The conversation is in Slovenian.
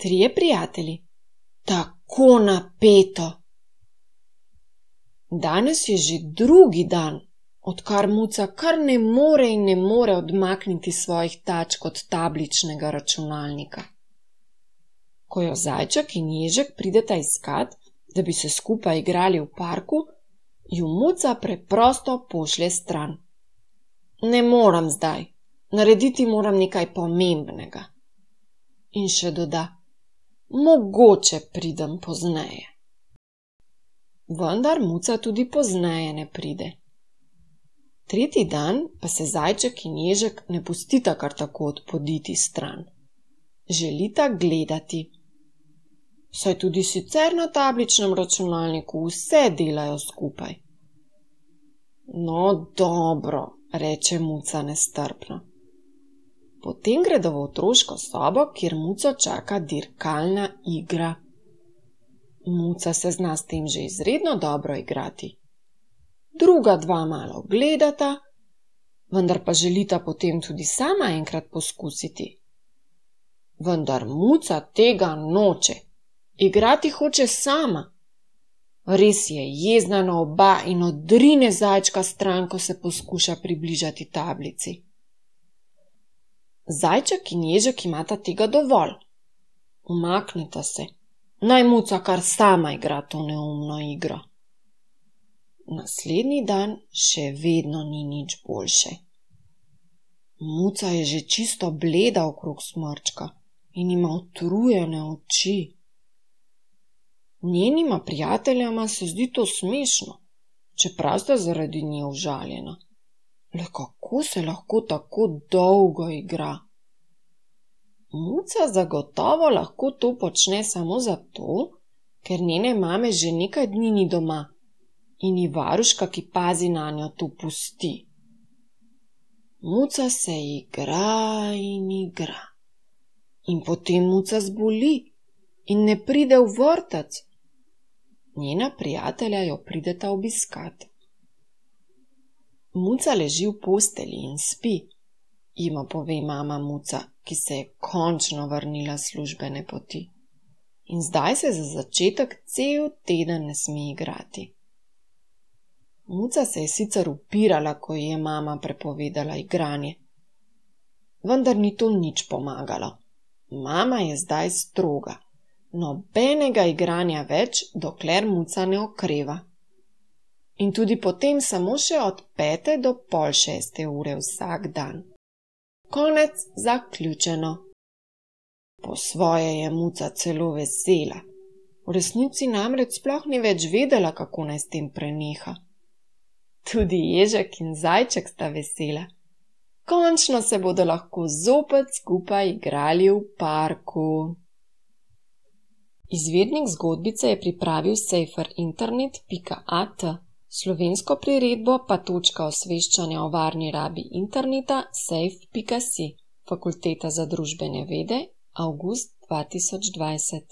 Trije prijatelji. Tako napeto. Danes je že drugi dan, odkar Muca kar ne more odmakniti svojih tačk od tabličnega računalnika. Ko jo Zajček in Ježek prideta iskat, da bi se skupaj igrali v parku, ju Muca preprosto pošlje stran. Ne moram zdaj, narediti moram nekaj pomembnega. In še doda, mogoče pridem pozneje. Vendar Muca tudi pozneje ne pride. Tretji dan pa se Zajček in Ježek ne pustita kar tako odpoditi stran. Želita gledati. Saj tudi sicer na tabličnem računalniku vse delajo skupaj. No, dobro, reče Muca nestrpno. Potem gredo v otroško sobo, kjer Muco čaka dirkalna igra. Muca se zna s tem že izredno dobro igrati. Druga dva malo gledata, vendar pa želita potem tudi sama enkrat poskusiti. Vendar Muca tega noče. Igrati hoče sama. Res je jezna na oba in odrine Zajčka stran, ko se poskuša približati tablici. Zajček in Ježek imata tega dovolj. Umakneta se. Naj Muca kar sama igra to neumno igro. Naslednji dan še vedno ni nič boljše. Muca je že čisto bleda okrog smrčka in ima utrujene oči. Njenima prijateljama se zdi to smešno, čeprav sta zaradi nje užaljena. Le kako se lahko tako dolgo igra? Muca zagotovo lahko to počne samo zato, ker njene mame že nekaj dni ni doma in ji varuška, ki pazi nanjo, to pusti. Muca se igra in igra. In potem Muca zboli in ne pride v vrtec. Njena prijatelja jo prideta obiskat. Muca leži v postelji in spi, jima pove mama Muca, ki se je končno vrnila s službene poti. In zdaj se za začetek cel teden ne sme igrati. Muca se je sicer upirala, ko ji je mama prepovedala igranje. Vendar ni to nič pomagalo. Mama je zdaj stroga. Nobenega igranja več, dokler Muca ne okreva. In tudi potem samo še od 5 do pol 6 ure vsak dan. Konec zaključeno. Po svoje je Muca celo vesela. V resnici namreč sploh ni več vedela, kako naj s tem preneha. Tudi Ježek in Zajček sta vesela. Končno se bodo lahko zopet skupaj igrali v parku. Izvirnik zgodbice je pripravil sejferinternet.at, slovensko priredbo pa točka osveščanja o varni rabi interneta sejf.si, Fakulteta za družbene vede, avgust 2020.